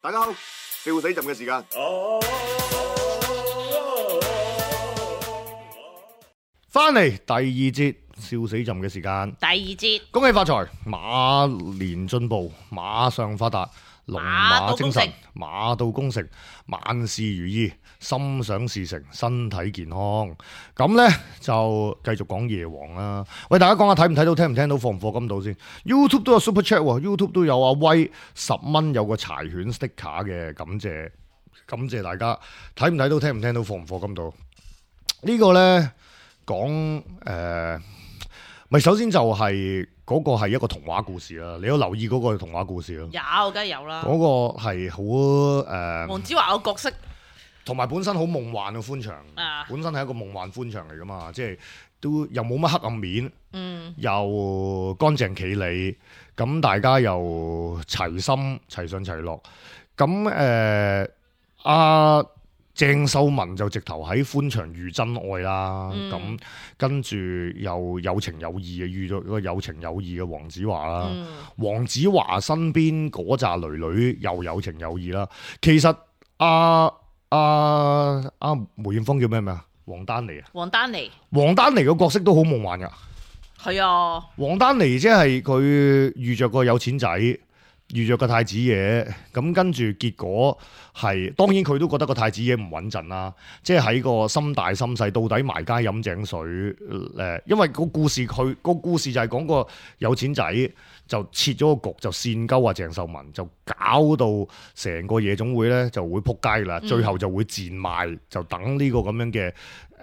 大家好，笑死朕嘅時間。翻嚟第二節笑死朕嘅時間。第二節，恭喜發財，馬年進步，馬上發達，龍馬精神，馬到功成，萬事如意，心想事成，身體健康。咁呢，就繼續講夜王啦。喂，大家講下睇唔睇到，聽唔聽到，放唔放金到先。YouTube 都有 Super Chat 喎，YouTube 都有阿威10蚊有個柴犬 sticker 嘅，感謝大家。睇唔睇到，聽唔聽到，放唔放金到。呢個呢，講咪首先就係嗰個係一個童話故事啦，你有留意嗰個童話故事咯？有，梗係有啦。嗰個係好黃子華個角色，同埋本身好夢幻嘅歡場，本身係一個夢幻歡場嚟噶嘛，即係都又冇乜黑暗面，又乾淨企理，咁大家又齊心齊上齊落，咁鄭秀文就直頭喺歡場遇真愛啦，咁跟住又有情有義嘅遇咗個有情有義嘅黃子華啦，黃子華身邊嗰扎女女又有情有義啦。其實梅艷芳叫咩名啊？黃丹妮個角色都好夢幻噶。係啊，黃丹妮即係佢遇着個有錢仔，遇着個太子爺，咁跟住結果係，當然佢都覺得個太子爺唔穩陣啦，即係喺個心大心細，到底埋街飲井水因為個故事就係講個有錢仔就設咗個局，就煽鳩啊鄭秀文，就搞到成個夜總會咧就會撲街啦，最後就會賤賣，就等呢個咁樣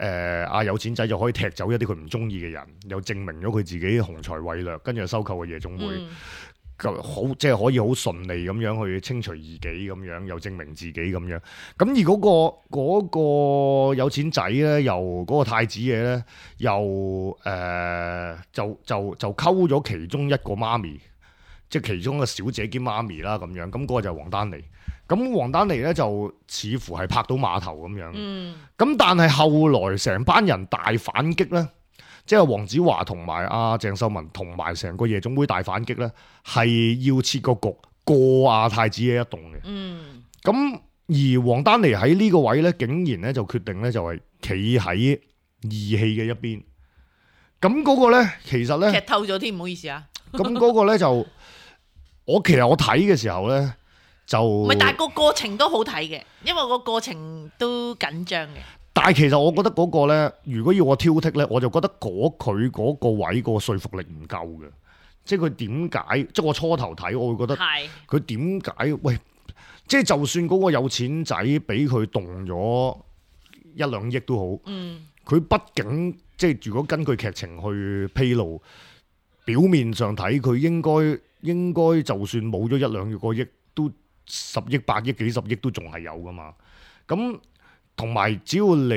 嘅有錢仔就可以踢走一啲佢唔中意嘅人，又證明咗佢自己雄才偉略，跟住就收購個夜總會。好即係可以好順利咁樣去清除異己咁樣，又證明自己咁樣。咁而嗰個有錢仔咧，又嗰個太子爺咧，又就溝咗其中一個媽咪，即係其中一個小姐兼媽咪啦咁樣。咁嗰個就係黃丹妮。咁黃丹妮咧就似乎係拍到碼頭咁樣。咁但係後來成班人大反擊咧。即係黃子華同埋阿鄭秀文同埋成個夜總會大反擊咧，係要設個局過阿太子爺一棟嘅。咁而黃丹妮喺呢個位咧，竟然咧就決定咧就係企喺義氣嘅一邊。咁嗰個咧其實咧劇透咗添，唔好意思啊。咁嗰個咧就其實我睇嘅時候咧就唔係，但係個過程都好睇嘅，因為個過程都緊張嘅。但係其實我覺得嗰個咧，如果要我挑剔咧，我就覺得佢嗰個位個說服力唔夠嘅。即係佢點解？即係我初頭睇，我會覺得佢點解？喂，即係就算嗰個有錢仔俾佢動咗1-2億都好，佢畢竟即係如果根據劇情去披露，表面上睇佢應該就算冇咗1-2個億，都10億、8億、幾十億都仲係有噶嘛。咁同埋只要你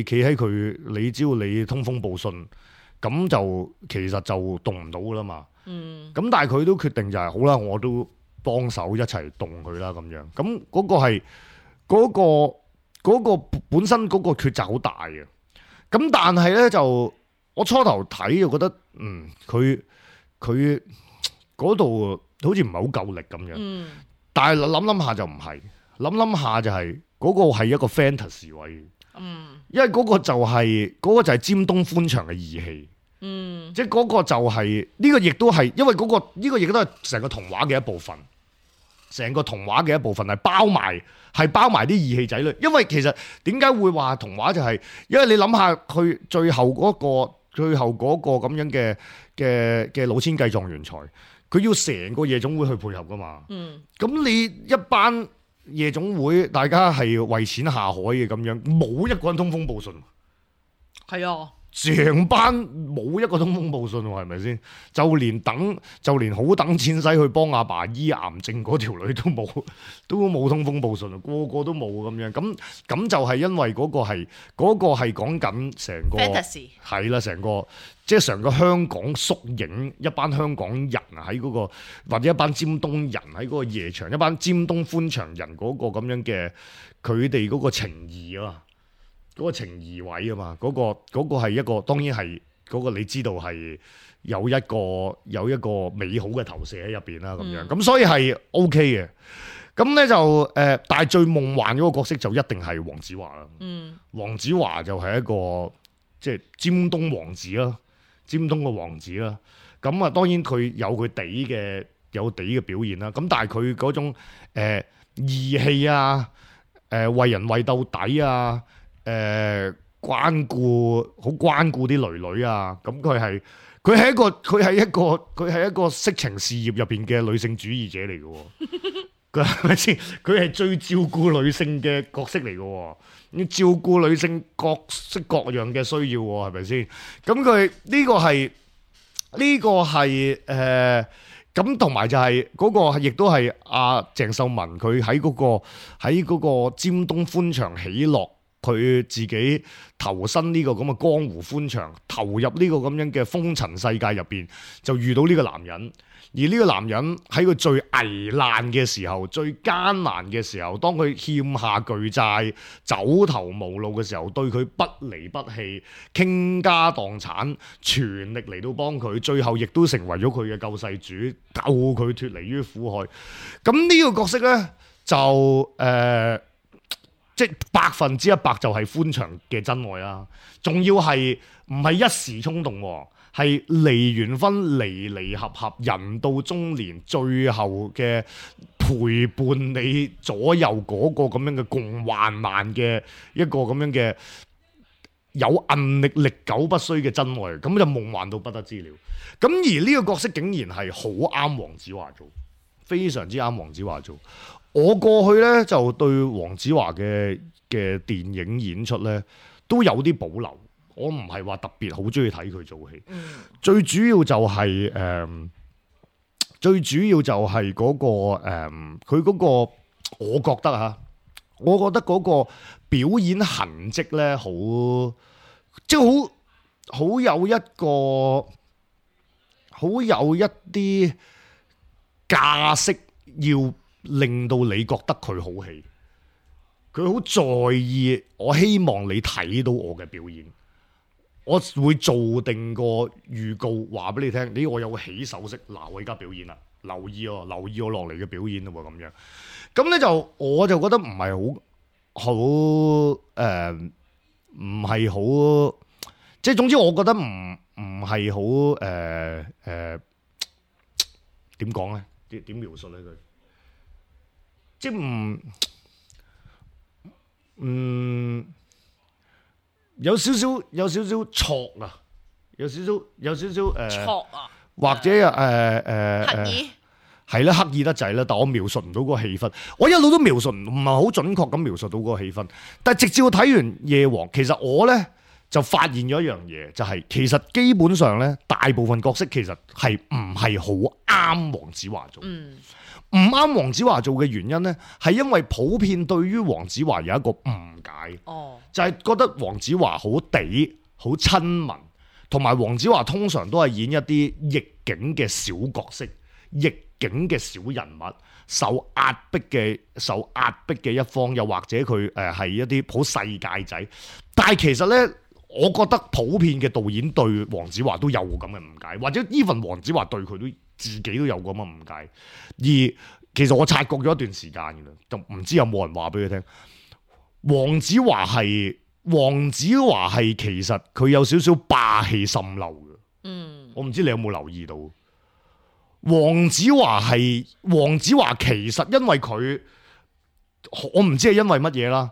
企喺佢，只要你通風報信，咁就其實就動唔到噶啦嘛。咁但係佢都決定就係好啦，我都幫手一齊動佢啦咁樣。咁嗰個係嗰個本身嗰個抉擇好大嘅。咁但係咧就我初頭睇就覺得佢嗰度好似唔係好夠力咁樣。但係諗下就唔係。諗下就係嗰個係一個 fantasy 位，因為嗰個就係尖東歡場嘅義氣，即係嗰個就係呢個亦都係，因為呢個亦都係成個童話嘅一部分，成個童話嘅一部分係包埋啲義氣仔女。因為其實點解會話童話就係，因為你諗下佢最後嗰個咁樣嘅老千計狀元才，佢要成個夜總會去配合噶嘛，咁你一班夜總會大家係為錢下海嘅咁樣，冇一個人通風報信。係啊，成班冇一個通風報信喎，係咪先？就連好等錢使去幫阿爸醫癌症嗰條女都冇通風報信，個個都冇咁樣。咁就係因為嗰個係講緊成個 fantasy 係啦，成個即係成個香港縮影，一班香港人喺嗰個，或者一班尖東人喺嗰個夜場，一班尖東歡場人嗰個咁樣嘅佢哋嗰個情義啊嘛，嗰個情義位啊嘛，嗰個係一個當然係嗰個你知道係有一個美好嘅投射喺入邊啦，咁樣咁所以係 OK 嘅。咁咧就但係最夢幻嗰個角色就一定係黃子華啦。黃子華就係一個即係尖東王子啦，尖東嘅王子啦。咁啊，當然佢有佢地嘅表現啦。咁但係佢嗰種義氣啊，為人為到底啊，關顧啲女女啊。咁佢係一個色情事業入邊嘅女性主義者嚟嘅。佢係咪先？佢係最照顧女性嘅角色嚟嘅，要照顧女性各式各樣嘅需要，係咪先？咁佢呢個係咁，同埋就係嗰個亦都係阿鄭秀文佢喺嗰個尖東歡場喜樂，佢自己投身呢個咁嘅江湖歡場，投入呢個咁樣嘅風塵世界入邊，就遇到呢個男人。而呢個男人喺佢最危難嘅時候、最艱難嘅時候，當佢欠下巨債、走投無路嘅時候，對佢不離不棄、傾家蕩產，全力嚟到幫佢，最後亦都成為咗佢嘅救世主，救佢脫離於苦海。咁呢個角色呢，就即係100%就係歡場嘅真愛啦，仲要係唔係一時衝動喎？係離完婚離合合，人到中年，最後嘅陪伴你左右嗰個咁樣嘅共患難嘅一個咁樣嘅有韌力歷久不衰嘅真愛，咁就夢幻到不得之了。咁而呢個角色竟然係好啱黃子華做，非常之啱黃子華做。我過去呢，就對黃子華嘅電影演出呢都有啲保留。我唔係話特別好中意睇佢做戲，最主要就係嗰個佢嗰個，我覺得嗰個表演痕跡咧，即係好有一啲架式，要令到你覺得佢好戲，佢好在意，我希望你睇到我嘅表演。我會做定個預告，話俾你聽。我有個起手式，嗱，我而家表演啦，留意我落嚟嘅表演咯，咁樣。咁咧我就覺得唔係好唔係好，即係總之我覺得唔係好點講咧？點描述咧佢？即係有少少挫啊，有少少挫啊，或者刻意係啦，刻意得滯啦。但我描述唔到嗰個氣氛，我一路都描述唔係好準確咁描述到嗰個氣氛。但係直至我睇完夜王，其實我咧就發現咗一樣嘢，就係其實基本上咧，大部分角色其實係唔係好啱黃子華做。唔啱黃子華做嘅原因呢，係因為普遍對於黃子華有一個誤解，就係覺得黃子華好地、好親民，同埋黃子華通常都係演一啲逆境嘅小角色、逆境嘅小人物，受壓迫嘅一方，又或者佢係一啲好世界仔。但係其實呢，我覺得普遍嘅導演對黃子華都有咁嘅誤解，或者 even 黃子華對佢都自己都有咁嘅誤解。而其實我察覺咗一段時間嘅啦，就唔知有冇人話俾佢聽。黃子華係其實佢有少少霸氣滲漏嘅。我唔知你有冇留意到。黃子華其實因為佢，我唔知係因為乜嘢啦。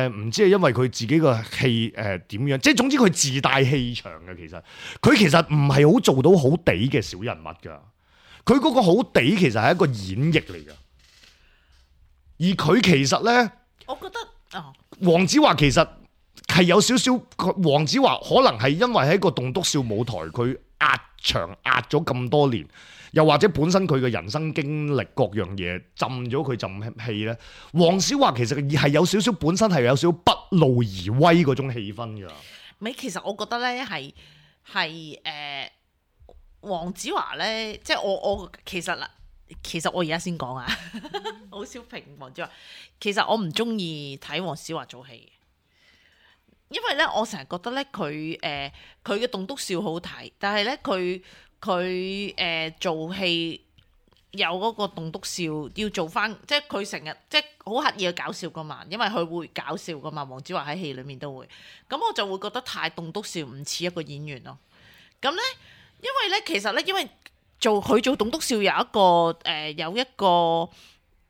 唔知係因為佢自己個氣點樣，即係總之佢自帶氣場嘅。其實佢其實唔係好做到好地嘅小人物㗎。佢嗰個好地其實係一個演繹嚟㗎，而佢其實呢，我覺得黃子華其實係有少少，黃子華可能係因為喺個棟篤笑舞台佢壓場壓咗咁多年，又或者本身佢嘅人生經歷各樣嘢浸咗佢浸氣呢。黃子華其實係有少少本身係有少少不怒而威嗰種氣氛㗎。其實我覺得呢係黃子華呢，即係我其實我而家先講啊，好少評黃子華。其實我唔中意睇黃子華做戲。因為咧，我成日覺得咧，佢嘅棟篤笑好睇，但係咧佢做戲有嗰個棟篤笑要做翻，即係佢成日即係好刻意去搞笑噶嘛，因為佢會搞笑噶嘛。黃子華喺戲裡面都會，咁我就會覺得太棟篤笑唔似一個演員咯。咁咧，因為咧其實咧，因為佢做棟篤笑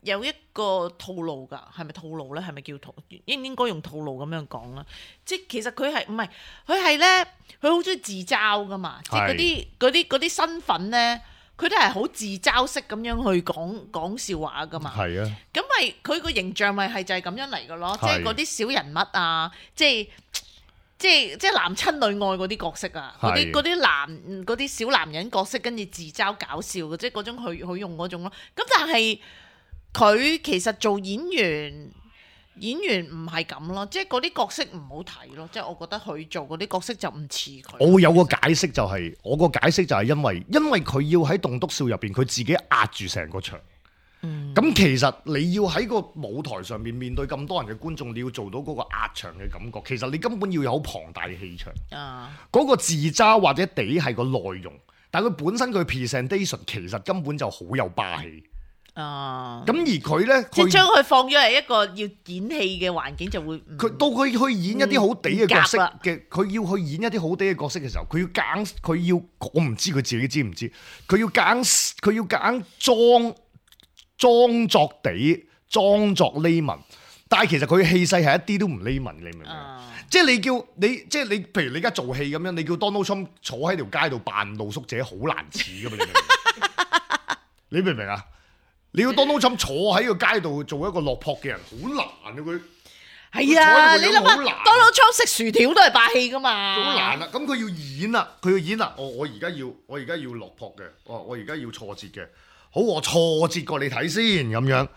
有一個套路㗎，係咪套路咧？係咪叫套？應唔應該用套路咁樣講啦？即係其實佢係唔係佢係咧？佢好中意自嘲㗎嘛！即係嗰啲身份咧，佢都係好自嘲式咁樣去講笑話㗎嘛。係啊。咁咪佢個形象咪係就係咁樣嚟㗎咯？即係嗰啲小人物啊，即係男親女愛嗰啲角色啊，嗰啲小男人角色，跟住自嘲搞笑嘅，即係嗰種佢用嗰種咯。咁但係佢其實做演員唔係咁咯，即係嗰啲角色唔好睇咯，即係我覺得佢做嗰啲角色就唔似佢。我會有個解釋就係，我個解釋就係因為佢要喺棟篤笑入邊，佢自己壓住成個場。咁其實你要喺個舞台上面對咁多人嘅觀眾，你要做到嗰個壓場嘅感覺，其實你根本要有好龐大嘅氣場。嗰個自嘲或者地係個內容，但係佢本身佢 presentation 其實根本就好有霸氣。咁而佢咧，即係將佢放咗喺一個要演戲嘅環境，就會佢到佢去演一啲好地嘅角色嘅，佢要去演一啲好地嘅角色嘅時候，佢要我唔知佢自己知唔知，佢要硬裝作地，裝作匿文，但係其實佢嘅氣勢係一啲都唔匿文，你明唔明？即係即係你，譬如你而家做戲咁樣，你叫 Donald Trump 坐喺條街度扮露宿者，好難似噶嘛？你明唔明啊？你要 Donald Trump 坐喺個街度做一個落魄嘅人，好難啊！佢係啊，你諗下 Donald Trump 食薯條都係霸氣噶嘛？好難啊！咁佢要演啦，我而家要落魄嘅，我而家要挫折嘅。好，我挫折過你睇先咁樣。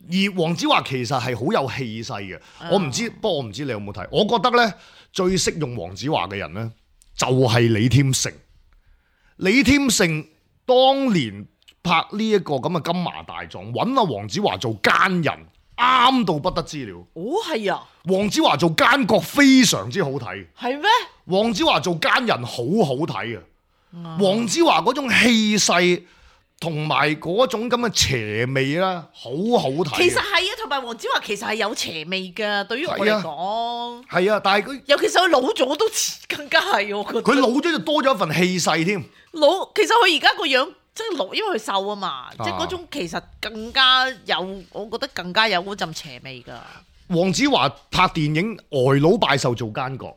而黃子華其實係好有氣勢嘅，我唔知，不過我唔知你有冇睇。我覺得咧，最識用黃子華嘅人咧，就係李添勝。李添勝當年拍呢一個咁嘅金麻大狀，揾阿黃子華做奸人，啱到不得之了。哦，係啊。黃子華做奸角非常之好睇。係咩？黃子華做奸人好好睇啊！黃子華嗰種氣勢。同埋嗰種咁嘅邪味啦，好好睇。其實係啊，同埋黃子華其實係有邪味㗎，對於我嚟講。係啊，但係佢尤其是佢老咗都更加係，我覺得。佢老咗就多咗一份氣勢添。其實佢而家個樣即係老，因為佢瘦啊嘛，即係嗰種其實更加有，我覺得更加有嗰陣邪味㗎。黃子華拍電影《呆佬拜壽》做奸角，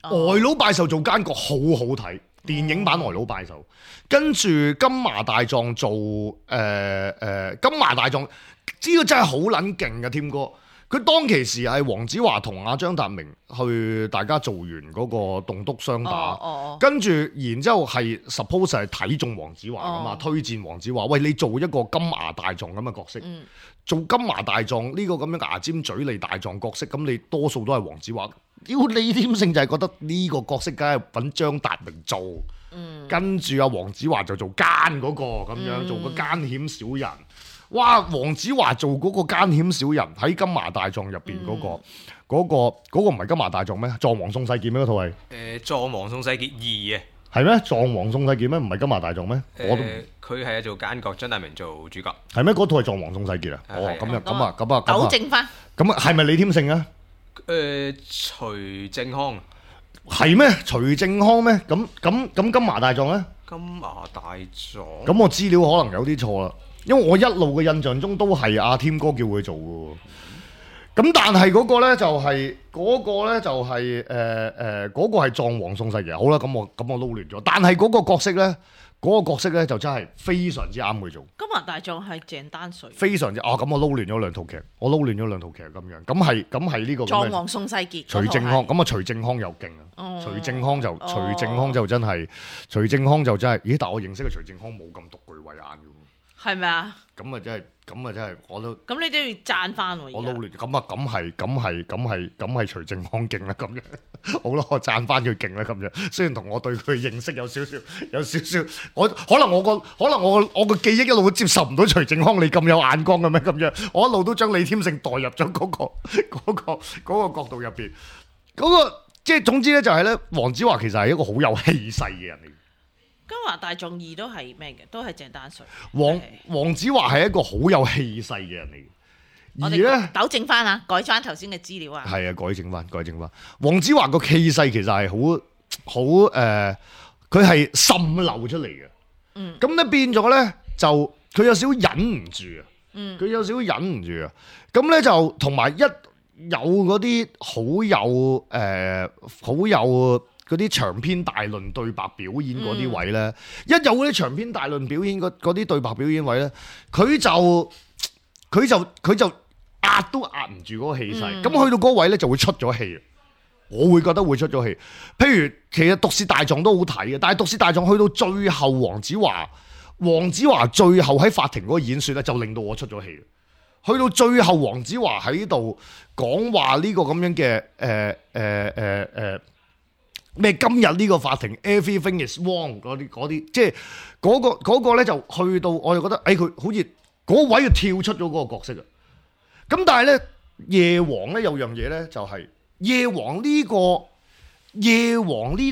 《呆佬拜壽》做奸角好好睇。電影版《呆佬拜壽》，跟住金麻大狀做金麻大狀，呢個真係好撚勁嘅添哥。佢當其時係黃子華同阿張達明去大家做完嗰個棟篤雙打，跟住然之後係 suppose 係睇中黃子華㗎嘛，推薦黃子華，喂，你做一個金麻大狀咁嘅角色，做金麻大狀呢個咁樣牙尖嘴利大狀角色，咁你多數都係黃子華。李添勝就係覺得呢個角色梗係揾張達明做，跟住阿黃子華就做奸嗰個咁樣，做個奸險小人。哇！黃子華做嗰個奸險小人喺金麻大狀入邊嗰個唔係金麻大狀咩？狀王宋世傑咩？嗰套係狀王宋世傑2啊，係咩？狀王宋世傑咩？唔係金麻大狀咩？佢係做奸角，張達明做主角，係咩？嗰套係狀王宋世傑啊？哦，咁啊，糾正翻。咁啊，係咪李添勝啊？徐正康係咩？徐正康咩？咁金麻大狀咧？金麻大狀咁我資料可能有啲錯啦，因為我一路嘅印象中都係阿添哥叫佢做嘅。咁但係嗰個咧就係嗰個係狀王宋世傑。好啦，咁我撈亂咗。但係嗰個角色咧就真係非常之啱佢做。金麻大狀係鄭丹瑞。非常之咁我撈亂咗兩套劇，咁樣。咁係呢個狀王宋世傑。徐正康咁啊，徐正康又勁啊！徐正康就真係，咦？但我認識嘅徐正康冇咁獨具慧眼嘅。係咪啊？咁啊真係，我都咁你都要讚翻喎。我撈亂，咁係徐正康勁啦，咁樣好咯，我讚翻佢勁啦，咁樣。雖然同我對佢認識有少少，我可能我個記憶一路都接受唔到徐正康你咁有眼光嘅咩？咁樣，我一路都將李添勝代入咗嗰個角度入邊。嗰個即係總之咧，就係咧，黃子華其實係一個好有氣勢嘅人嚟。金華大眾二都係咩嘅？都係鄭丹瑞。黃子華係一個好有氣勢嘅人嚟。我哋咧糾正翻啊，改翻頭先嘅資料啊。係啊，改正翻。黃子華個氣勢其實係好佢係滲漏出嚟嘅。咁咧變咗咧就佢有少少忍唔住啊。佢有少少忍唔住啊。咁咧就同埋有嗰啲好有嗰啲長篇大論對白表演嗰啲位咧，一有嗰啲長篇大論表演嗰啲對白表演位咧，佢就壓都壓唔住嗰個氣勢，咁去到嗰位咧就會出咗氣。我會覺得會出咗氣。譬如其實《毒舌大狀》都好睇嘅，但係《毒舌大狀》去到最後，黃子華最後喺法庭嗰個演說咧，就令到我出咗氣。去到最後，黃子華喺度講話呢個咁樣嘅咩今日呢個法庭 everything is wrong 嗰啲，即係嗰個咧就去到我就覺得佢好似嗰位就跳出咗嗰個角色啊。咁但係咧夜王咧有樣嘢咧就係夜王呢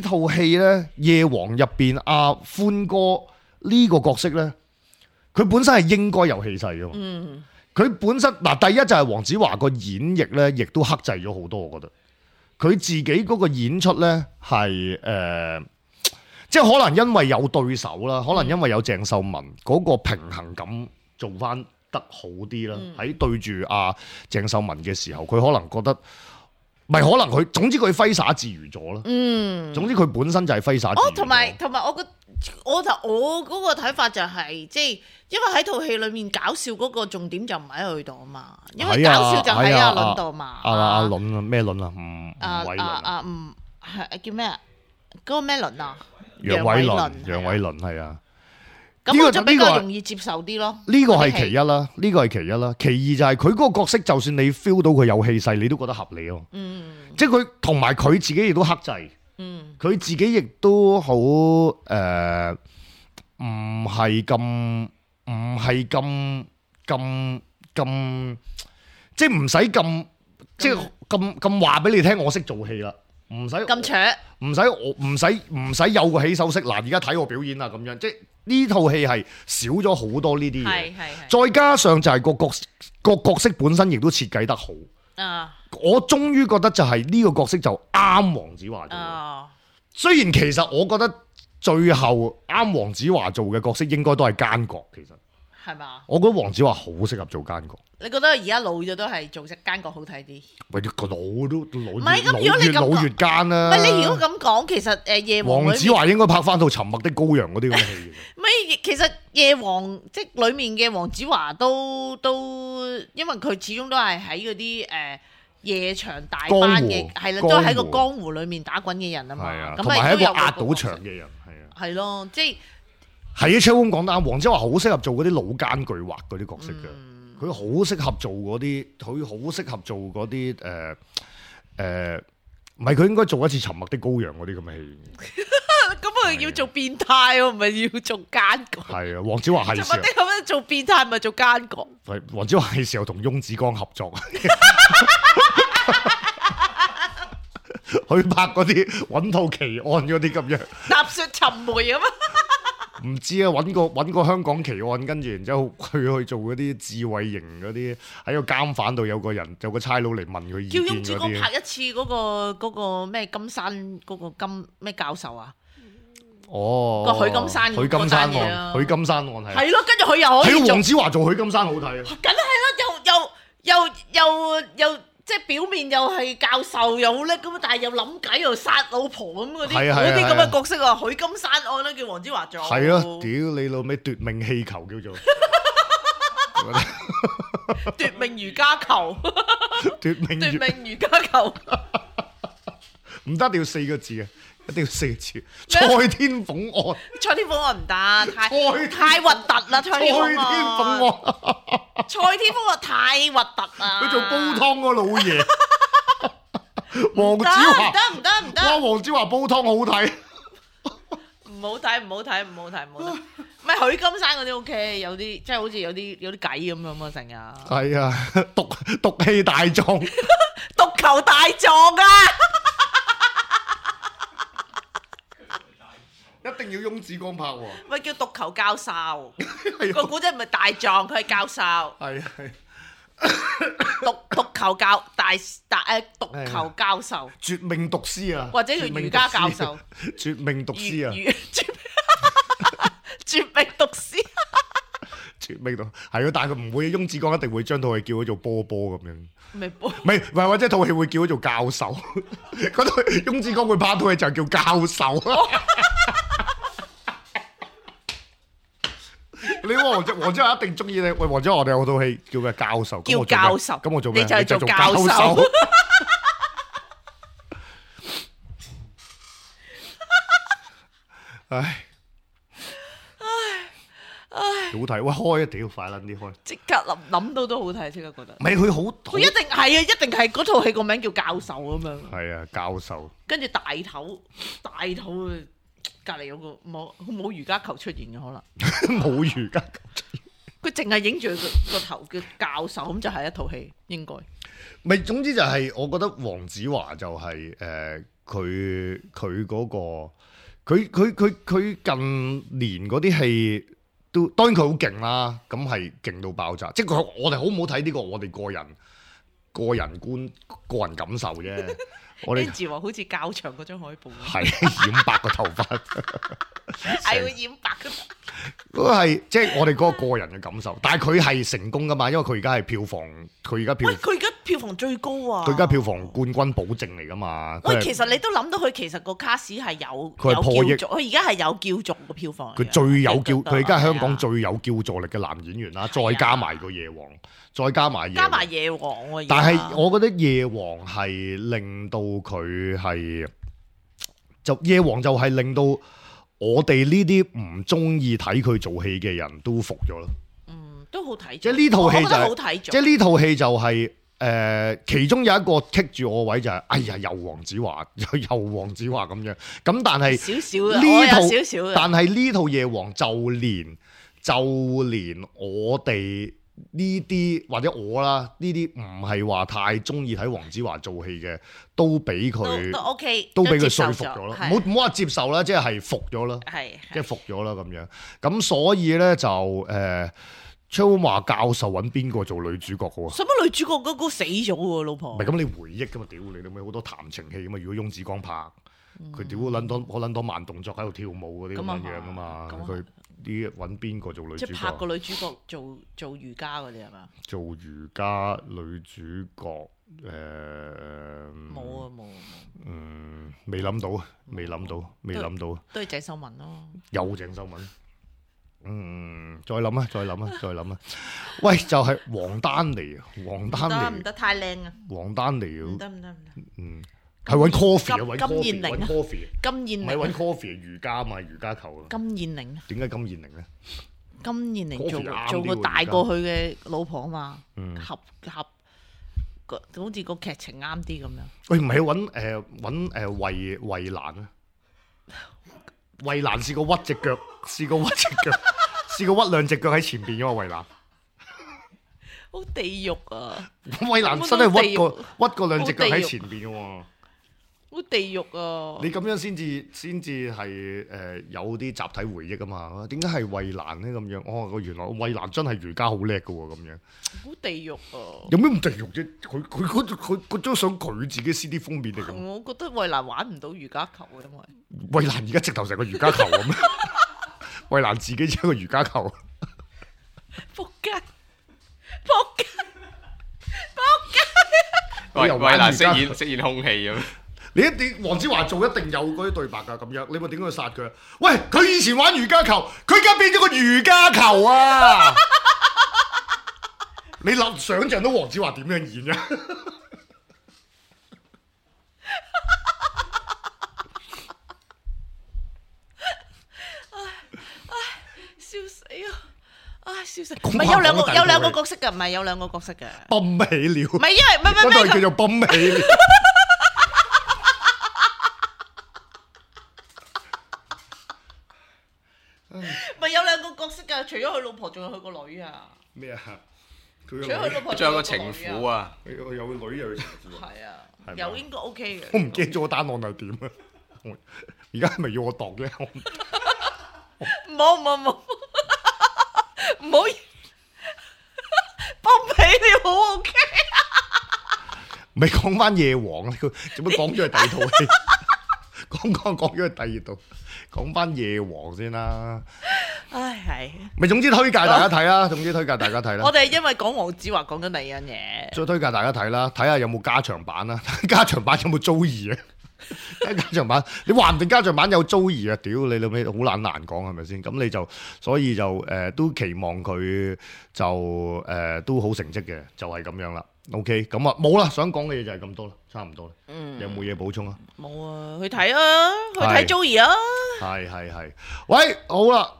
套戲咧，夜王入邊阿歡哥呢個角色咧，佢本身係應該有氣勢噶嘛。佢本身第一就係黃子華個演繹咧，亦都克制咗好多。我覺得佢自己嗰個演出咧係即係可能因為有對手啦，可能因為有鄭秀文嗰個平衡感做翻得好啲啦。喺對住阿鄭秀文嘅時候，佢可能覺得可能佢總之佢揮灑自如咗啦。總之佢本身就係揮灑自如。同埋我嗰個睇法就係即係。因為喺套戲裏面搞笑嗰個重點就唔喺佢度啊嘛，因為搞笑就喺阿倫度嘛。阿倫啊，咩倫啊？吳偉倫唔係叫咩啊？嗰個咩倫啊？楊偉倫係啊。咁我就比較容易接受啲咯。呢個係其一啦，其二就係佢嗰個角色，就算你 feel 到佢有氣勢，你都覺得合理咯。即係佢同埋佢自己亦都克制。佢自己亦都好唔係咁。即係唔使咁，即係咁話俾你聽，我識做戲啦，唔使咁扯，唔使有個起手式。嗱，而家睇我表演啦，咁樣即係呢套戲係少咗好多呢啲嘢，再加上就係個角色本身亦都設計得好。我終於覺得就係呢個角色就啱黃子華做。雖然其實我覺得。最後啱黃子華做嘅角色應該都係奸角，其實係嘛？我覺得黃子華好適合做奸角。你覺得而家老咗都係做隻奸角好睇啲？喂，個老都老，唔係咁，如果你咁老越奸啦。唔係你如果咁講，其實夜王黃子華應該拍翻套《沉默的羔羊》嗰啲咁嘅戲。唔係，其實夜王即係裡面嘅黃子華都，因為佢始終都係喺嗰啲夜場大班嘅，係啦，都喺個江湖裡面打滾嘅人啊嘛。同埋係一個壓到場嘅人。係咯，即係係啊！車公講得啱，黃子華好適合做嗰啲老奸巨猾嗰啲角色嘅，佢好適合做嗰啲，佢好適合做嗰啲唔係佢應該做一次《沉默的羔羊》嗰啲咁嘅戲。咁佢要做變態喎，唔係要做奸角。係啊，黃子華係時候咁樣做變態，唔係做奸角。黃子華係時候同翁子光合作。去拍嗰啲揾套奇案嗰啲咁樣，踏雪尋梅咁啊！唔知啊，揾個香港奇案，跟住然之後佢去做嗰啲智慧型嗰啲，喺個監犯度有個差佬嚟問佢意見嗰啲。叫翁子光拍一次嗰個咩金山嗰個金咩教授啊？哦，個許金山案，許金山案係咯，跟住佢又可以做黃子華做許金山好睇啊！梗係啦，又。即係表面又係教授又好叻咁，但係又諗計又殺老婆咁嗰啲咁嘅角色啊！許金山案咧叫黃子華做。係啊，屌你老味奪命氣球叫做奪命瑜伽球，奪命瑜伽球，唔得，一定要4個字啊！一定要4個字。蔡天鳳案，蔡天鳳案唔得，太核突啦！蔡天鳳案。蔡天鳳啊，太核突啊！佢做煲湯嗰老爺，黃子華唔得，哇！黃子華煲湯好睇，唔好睇，唔係許金山嗰啲 OK，有啲即係好似有啲計咁樣啊，成日係啊，毒氣大狀，毒球大狀啊！定要翁子光拍喎。咪叫獨球教授，個古仔唔係大狀，佢係教授。係係。獨球獨球教授，絕命毒師啊，或者叫瑜伽教授，絕命毒師啊，絕命毒師，絕命毒係咯，但係佢唔會，翁子光一定會將套戲叫佢做波波咁樣，咩波？唔係或者套戲會叫佢做教授，嗰套翁子光會拍套戲就係叫教授啊。你黃子華一定中意你，喂，黃子華我哋有套戲叫咩教授？叫教授，咁我做咩？你就係做教授。唉，好睇，喂，開啊！屌，快撚啲開！即刻諗到都好睇，即刻覺得。唔係佢好，佢一定係啊，一定係嗰套戲個名叫教授咁樣。係啊，教授。跟住大頭隔離有個冇瑜伽球出現嘅可能。冇瑜伽球出現。佢淨係影住個頭叫教授，咁就係一套戲應該。咪總之就係我覺得黃子華就係佢嗰個佢近年嗰啲戲都當然佢好勁啦，咁係勁到爆炸。即係我哋好唔好睇呢個我哋個人觀個人感受啫。我哋字話好似較長嗰張海報，係染白個頭髮，係會染白嘅。嗰個係即係我哋嗰個人嘅感受，但係佢係成功噶嘛，因為佢而家係票房，佢而家票房最高啊！佢而家票房冠軍保證嚟噶嘛。喂，其實你都諗到佢其實個卡士係有佢係破億，佢而家係有叫做個票房。佢最有叫，佢而家係香港最有叫座力嘅男演員啦，再加埋個夜王，再加埋夜王喎。但係我覺得夜王係令到佢係夜王就係令到我哋呢啲唔中意睇佢做戲嘅人都服咗咯。都好睇。即係呢套戲就好睇，即係呢套戲就係其中有一個棘住我位就係，哎呀，又黃子華咁樣。咁但係少少呢套少少，但係呢套夜王就連我哋呢啲或者我啦，呢啲唔係話太中意睇黃子華做戲嘅，都俾佢都 OK，都俾佢說服咗咯。唔好話接受啦，即係服咗啦，即係服咗啦咁樣。咁所以咧就張華教授揾邊個做女主角好啊？使乜女主角嗰個死咗喎，老婆？唔係咁你回憶噶嘛？屌你老味好多談情戲噶嘛？如果翁子光拍，佢屌撚多慢動作喺度跳舞嗰啲咁樣噶嘛？佢啲揾邊個做女主角？即係拍個女主角做瑜伽嗰啲係嘛？做瑜伽女主角冇。未諗到。都係鄭秀文咯。有鄭秀文。再諗啊！喂，就係王丹妮唔得太靚啊！王丹妮唔得，係揾 coffee 啊，揾金燕玲啊，金燕玲，唔係揾 coffee 瑜伽啊嘛，瑜伽球啊。金燕玲點解金燕玲咧？金燕玲做個大過佢嘅老婆啊嘛，合好似個劇情啱啲咁樣。喂，唔係揾衛蘭啊？衛蘭試過屈隻腳，試過屈兩隻腳喺前邊嘅嘛，衛蘭。好地獄啊！衛蘭真係屈過兩隻腳喺前邊嘅喎。好地獄啊！你咁樣先至係有啲集體回憶啊嘛？點解係衛蘭咧咁樣？哦，原來衛蘭真係瑜伽好叻嘅喎咁樣。好地獄啊！有咩咁地獄啫？佢嗰張相佢自己 CD 封面嚟嘅。我覺得衛蘭玩唔到瑜伽球嘅，因為衛蘭而家直頭成個瑜伽球咁。衛蘭自己只係個瑜伽球。仆街！衛蘭飾演空氣咁。你一定黃子華做一定有嗰啲對白㗎咁樣，你咪點解殺佢？喂，佢以前玩瑜伽球，佢而家變咗個瑜伽球啊！你想象到黃子華點樣演啊？笑死啊！笑死！唔係有兩個角色㗎，唔係有兩個角色嘅。泵起了。唔係因為嗰度叫做泵起了。咪有兩個角色㗎，除咗佢老婆，仲有佢個女啊！咩啊？除咗佢老婆，仲有個情婦啊！有個女又有情婦。係啊，又應該 OK 嘅。我唔記得咗個單案係點啊！而家係咪要我度咧？唔好，幫俾你好 OK。咪講翻夜王，佢做乜講咗去第二套戲？講咗去第二度，講翻夜王先啦。唉，係。咪總之推介大家睇啦，我哋因為講黃子華講緊第二樣嘢，再推介大家睇啦，睇下有冇加長版啦，加長版有冇租兒啊？加長版，你話唔定加長版有租兒啊？屌你老味，好難講係咪先？咁你就所以就都期望佢就都好成績嘅，就係咁樣啦。OK， 咁啊冇啦，想講嘅嘢就係咁多啦，差唔多啦。有冇嘢補充啊？冇啊，去睇啊，去睇 Joey 啊。係，喂，好啦，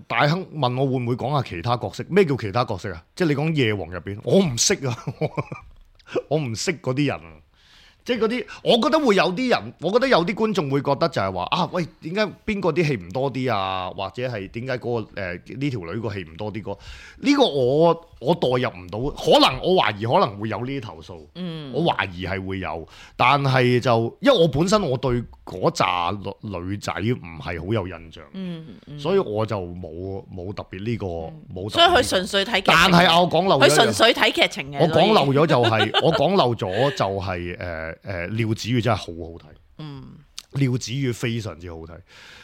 大亨問我會唔會講下其他角色？咩叫其他角色啊？即係你講夜王入邊，我唔識啊，我唔識嗰啲人啊。即係嗰啲，我覺得會有啲人，我覺得有啲觀眾會覺得就係話啊，喂，點解邊個啲戲唔多啲啊？或者係點解嗰個呢條女個戲唔多啲個？呢個我代入唔到，可能我懷疑可能會有呢啲投訴。我懷疑係會有，但係就因為我本身我對嗰扎女仔唔係好有印象，所以我就冇特別呢個冇。所以佢純粹睇劇情，但係我講漏咗，佢純粹睇劇情嘅。我講漏咗就係廖子妤真係好好睇，廖子妤非常之好睇，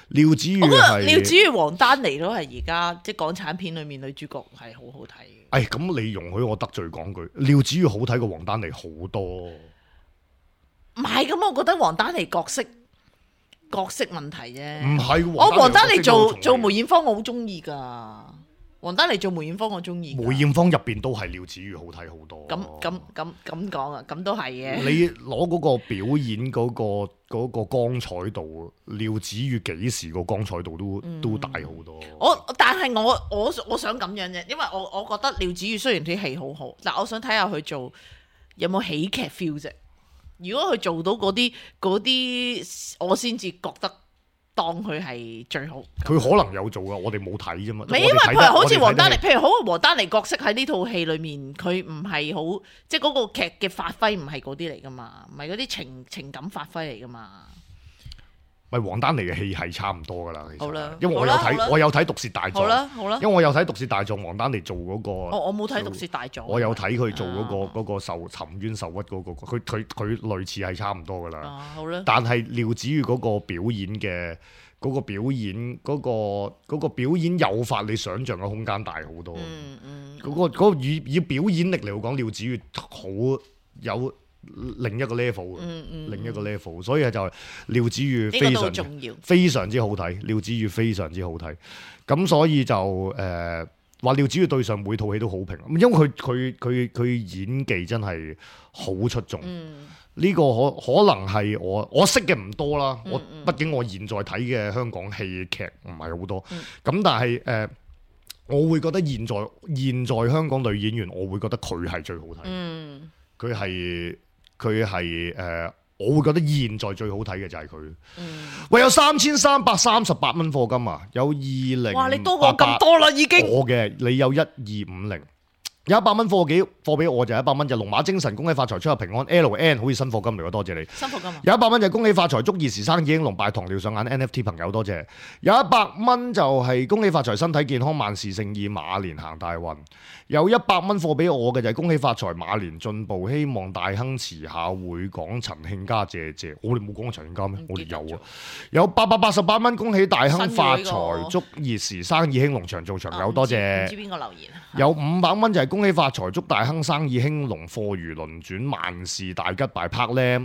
廖子妤係廖子妤黃丹妮都係而家即係港產片裏面女主角係好好睇嘅。咁你容許我得罪講句，廖子妤好睇過黃丹妮好多。唔係咁，我覺得黃丹妮角色問題啫。唔係，我黃丹妮做梅艷芳我好中意噶。黃丹妮做梅艷芳我中意，梅艷芳入邊都係廖子妤好睇好多。咁講啊，咁都係嘅。你攞嗰個表演嗰個光彩度，廖子妤幾時個光彩度都大好多。但係我想咁樣啫，因為我覺得廖子妤雖然啲戲好好，但我想睇下佢做有冇喜劇 feel 啫。如果佢做到嗰啲，我先至覺得。當佢係最好，佢可能有做噶，我哋冇睇啫嘛。因為譬如好似黃丹妮，譬如好黃丹妮角色喺呢套戲裏面，佢唔係好，即係嗰個劇嘅發揮唔係嗰啲嚟噶嘛，唔係嗰啲情感發揮嚟噶嘛。咪黃丹妮嘅戲係差唔多噶啦，其實。好啦，因為我有睇《毒舌大狀》。好啦，因為我有睇《毒舌大狀》，黃丹妮做嗰個。我冇睇《毒舌大狀》。我有睇佢做嗰個沉冤受屈嗰個，佢類似係差唔多噶啦。好啦。但係廖子妤嗰個表演嘅嗰個表演誘發你想像嘅空間大好多。嗰個以表演力嚟講，廖子妤好有。另一個 level 另一個 level， 所以就係廖子妤非常之好睇，廖子妤非常之好睇，咁所以就話廖子妤對上每套戲都好評，因為佢演技真係好出眾，呢個可能係我識嘅唔多啦，畢竟我現在睇嘅香港戲劇唔係好多，咁但係我會覺得現在香港女演員，我會覺得佢係最好睇，佢係我會覺得現在最好睇嘅就係佢。喂，有3338蚊課金啊！有2088，哇！你多過咁多啦，已經。我嘅你有1250，有100蚊貨俾我就100蚊，就龍馬精神，恭喜發財，出入平安。LN 好似新課金嚟喎，多謝你。新課金啊！有100蚊就恭喜發財，祝兒時生意興隆，拜糖尿上眼 NFT 朋友多謝。有100蚊就係恭喜發財，身體健康，萬事勝意，馬年行大運。有100蚊貨俾我嘅就係恭喜發財，馬年進步，希望大亨遲下會講陳慶嘉謝謝。我哋冇講過陳慶嘉咩？我哋有啊。有888蚊，恭喜大亨發財，祝兒時生意興隆，長做長有，多謝。唔知邊個留言？有500蚊就係恭喜發財，祝大亨生意興隆，貨如輪轉，萬事大吉，大拍咧。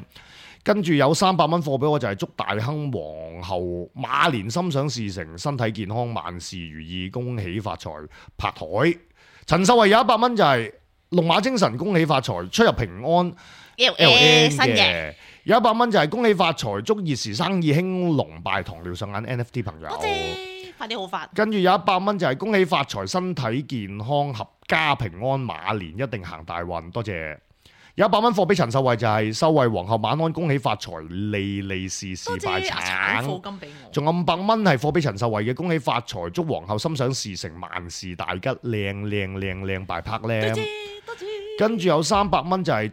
跟住有300蚊貨俾我就係祝大亨皇后馬年心想事成，身體健康，萬事如意，恭喜發財，拍台。陳秀慧有100蚊就係龍馬精神，恭喜發財，出入平安。LN 嘅有100蚊就係恭喜發財，祝兒時生意興隆，拜糖尿上眼 NFT 朋友。多謝，快啲好發。跟住有100蚊就係恭喜發財，身體健康，合家平安，馬年一定行大運。多謝。有100蚊貨俾陳秀慧就係秀慧皇后晚安，恭喜發財，利利是事拜橙。仲有500蚊係貨俾陳秀慧嘅，恭喜發財，祝皇后心想事成，萬事大吉，靚拜拍靚。多謝。跟住有300蚊就係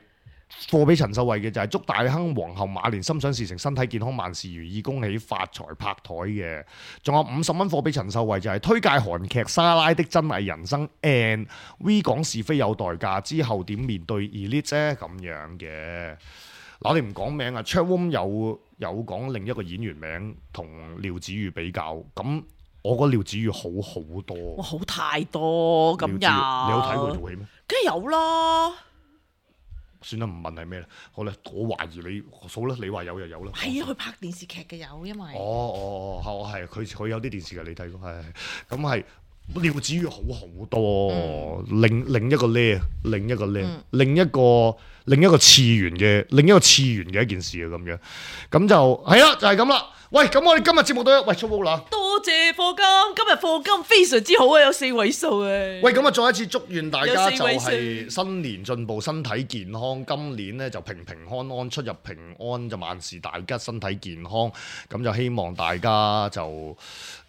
貨俾陳秀慧嘅就係祝大亨皇后馬年心想事成，身體健康，萬事如意，恭喜發財拍台嘅。仲有50蚊貨俾陳秀慧就係推介韓劇莎拉的真偽人生 and V 講是非有代價之後點面對 Elite 啫咁樣嘅。嗱，我哋唔講名啊 Chatroom 有講另一個演員名同廖子妤比較，咁我覺得廖子妤好多。哇，好太多咁又。你有睇過套戲咩？梗係有啦。算啦，唔問係咩啦。好啦，我懷疑你數啦，你話有就有啦。係啊，佢拍電視劇嘅有，因為係佢有啲電視劇你睇過係咁係廖子妤好多，另一個呢，另一個次元嘅一件事啊咁樣，咁就係啦，就係咁啦。喂，咁我哋今日節目都喂出啦，多謝課金，今日課金非常之好啊，有4位數啊！喂，咁啊，再一次祝願大家就係新年進步，身體健康，今年咧就平安安，出入平安，就萬事大吉，身體健康，咁就希望大家就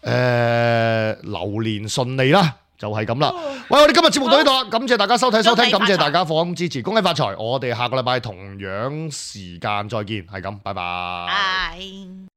流年順利啦。就係咁啦，喂！我哋今日節目到呢度啦，感謝大家收睇收聽，感謝大家課金支持，恭喜發財！我哋下個禮拜同樣時間再見，係咁，拜拜。